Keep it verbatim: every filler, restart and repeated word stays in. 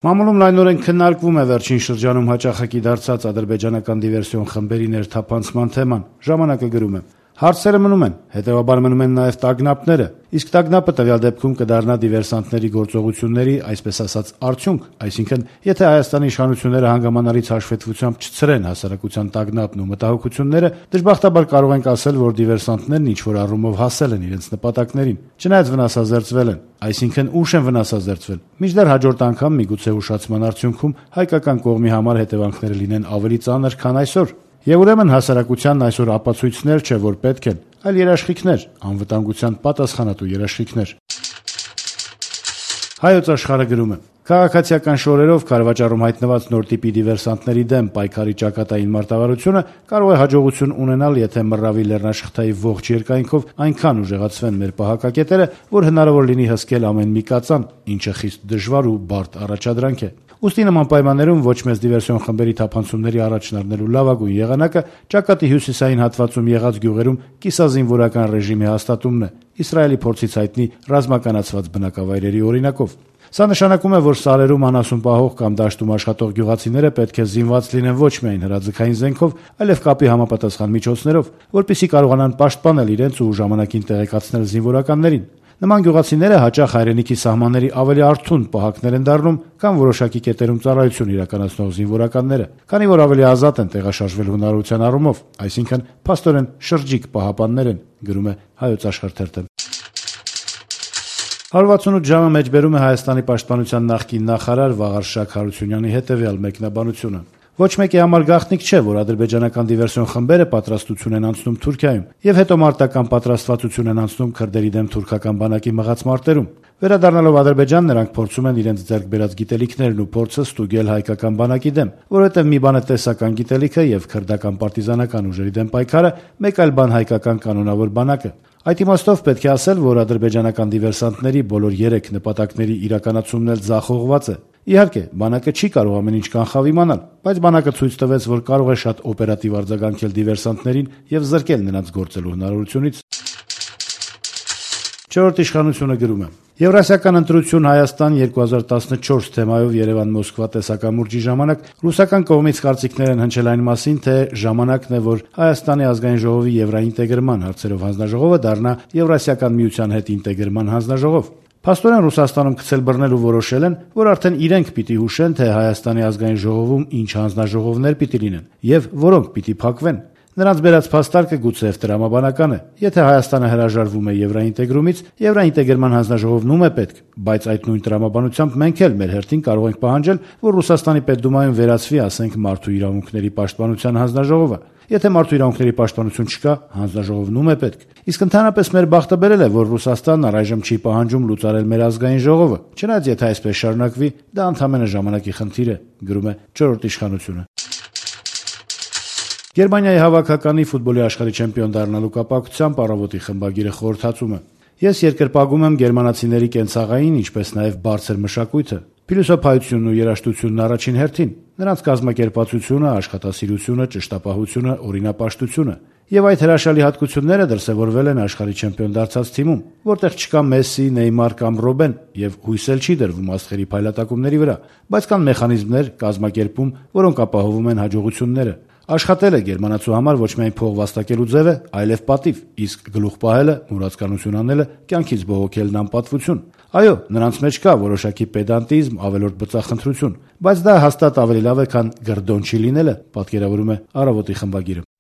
Մամուլում լայնորեն քննարկվում է վերջին շրջանում հաճախակի դարձած ադրբեջանական դիվերսիոն խմբերի ներթափանցման թեման։ Ժամանակը գրում է. Հարցերը մնում են, հետևաբար մնում են նաև տագնապները, իսկ տագնապը տվյալ դեպքում կդառնա դիվերսանտների գործողությունների, այսպես ասած, արդյունք, այսինքն, եթե Հայաստանի իշխանությունները հանգամանալից հաշվետվությամբ չցրեն հասարակության տագնապն ու մտահոգությունները, դժբախտաբար կարող ենք ասել, որ դիվերսանտներն ինչ-որ առումով հասել են իրենց նպատակներին, չնայած վնասազերծվել են, այսինքն ուշ են վնասազերծվել, մինչդեռ հաջորդ անգամ միգուցե ուշացման արդյունքում հայկական կողմի համար հետևանքները լինեն ավելի ծանր, քան այսօր։ Եվ ուրեմն հասարակությանն այսօր ապացույցներ չէ, որ պետք են, այլ երաշխիքներ, անվտանգության պատասխանատու երաշխիքներ։ Հայոց աշխարհը գրում է. Քաղաքացիական շորերով քարվաճառում հայտնված նոր տիպի դիվերսանտների դեմ պայքարի ճակատային մարտավարությունը կարող է հաջողություն ունենալ, եթե մռավի լեռնաշղթայի ողջ երկայնքով այնքան ուժեղացվեն մեր պահակակետերը, որ հնարավոր լինի հսկել ամեն մի կածան, ինչը խիստ դժվար ու բարդ առաջադրանք է։ Ուստի նման պայմաններում ոչ մեծ դիվերսիոն խմբերի թափանցումների առաջն առնելու լավագույն եղանակը ճակատի հյուսիսային հատվածում եղած գյուղերում կիսազինվորական ռեժիմի հաստատումն է, Իսրայելի փորձից հայտնի ռազմականացված բնակավայրերի օրինակով։ Սա նշանակում է, որ սարերում անասուն պահող կամ դաշտում աշխատող գյուղացիները պետք է զինված լինեն ոչ միայն հրաձգային զենքով, այլև կապի համապատասխան միջոցներով, որպեսզի կարողանան պաշտպանել իրենց ու ժամանակին տեղեկացնել զինվորականներին։ Նման գյուղացիները հաճախ հայրենիքի սահմանների ավելի արթուն պահակներ են դառնում, կամ որոշակի կետերում ծառայություն իրականացնող զինվորականները, քանի որ ավելի ազատ են տեղաշարժվել հնարավորության առումով, այսինքն փաստորեն շրջիկ պահապաններ են, գրում է Հայոց աշխարհ թերթը։ հարյուրվաթսունութ ժամը մեջբերում է Հայաստանի պաշտպանության նախկին նախարար Վաղարշակ Հարությունյանի հետևյալ մեկնաբանությունը. Ոչ մեկի համար գաղտնիք չէ, որ ադրբեջանական դիվերսիոն խմբերը պատրաստություն են անցնում Թուրքիայում եւ հետո մարտական պատրաստվածություն են անցնում քրդերի դեմ թուրքական բանակի մղած մարտերում։ Վերադառնալով Ադրբեջան, նրանք փորձում են իրենց ձեռք բերած գիտելիքներն ու փորձը ստուգել հայկական բանակի դեմ, որովհետեւ մի բան է տեսական գիտելիքը եւ քրդական պարտիզանական ուժերի դեմ պայքարը, մեկ այլ բան հայկական կանոնավոր բանակը։ Այդ իմաստով պետք է ասել, որ ադրբեջանական դիվերսանտների բոլոր երեք նպատակների իրականացումն էլ ձախողված է։ Իհարկե, բանակը չի կարող ամեն ինչ կանխավ իմանալ, բայց բանակը ցույց տվեց, որ կարող է շատ օպերատիվ արձագանքել դիվերսանտներին եւ զրկել նրանց գործելու հնարավորությունից։ Չորրորդ իշխանությունը գրում է. Եվրասիական ընտրություն Հայաստան երկու հազար տասնչորս թեմայով Երևան-Մոսկվա տեսակամուրջի ժամանակ ռուսական կողմից կարծիքներ են հնչել այն մասին, թե ժամանակն է, որ Հայաստանի ազգային ժողովի եվրաինտեգրման հարցերով հանձնաժողովը դառնա Եվրասիական միության հետ ինտեգրման հանձնաժողով։ Փաստորեն Ռուսաստանում գցել բռնել ու որոշել են, որ արդեն իրենք պիտի հուշեն, թե Հայաստանի ազգային ժողովում ինչ հանձնաժողովներ պիտի լինեն եւ որոնք պիտի փակվեն։ Նրանց բերած փաստարկը գուցեև տրամաբանական է։ Եթե Հայաստանը հրաժարվում է եվրաինտեգրումից, եվրաինտեգրման հանձնաժողովն ում է պետք, բայց այդ նույն տրամաբանությամբ մենք էլ մեր հերթին կարող ենք պահանջել, որ Ռուսաստանի Պետդումայում վերացվի, ասենք, մարդու իրավունքների պաշտպանության հանձնաժողովը։ Եթե մարդու իրավունքների պաշտպանություն չկա, հանձնաժողովն ում է պետք։ Իսկ ընդհանրապես մեր բախտը բերել է, որ Ռուսաստանն առայժմ չի պահանջում լուծարել մեր ազգային ժողովը։ Չնայած եթե այսպես շարունակվի, դա ընդհանրապես ժամանակի խնդիր է, գրում է չորրորդ իշխանությունը։ Գերմանիայի հավաքականի ֆուտբոլի աշխարհի չեմպիոն դառնալու կապակցությամբ առավոտի խմբագիրը խորհրդածում է. Ես երկրպագում եմ գերմանացիների կենցաղային, ինչպես նաև բարձր մշակույթը, փիլիսոփայությունն ու երաժշտությունն առաջին հերթին, նրանց կազմակերպվածությունը, աշխատասիրությունը, ճշտապահությունը, օրինապաշտությունը։ Եվ այդ հրաշալի հատկությունները դրսևորվել են աշխարհի չեմպիոն դարձած թիմում, որտեղ չկա Մեսսի, Նեյմար կամ Ռոբեն, եւ հույս էլ չի դրվում աստղերի փայլատակումների վրա, բայց կան մեխանիզմներ, կազմակերպում, որոնք ապահովում են հաջողությունները։ Աշխատելը գերմանացու համար ոչ միայն փող վաստակելու ձև է, այլև պատիվ, իսկ գլուխ պահելը, մուրացկանություն անելը, կյանքից բողոքելն անպատվություն։ Այո, նրանց մեջ կա որոշակի պեդանտիզմ, ավելորդ բծախնդրություն, բայց դա հաստատ ավելի լավ է, քան գրդոն չի լինելը, պատկերավորում է Առավոտի խմբագիրը։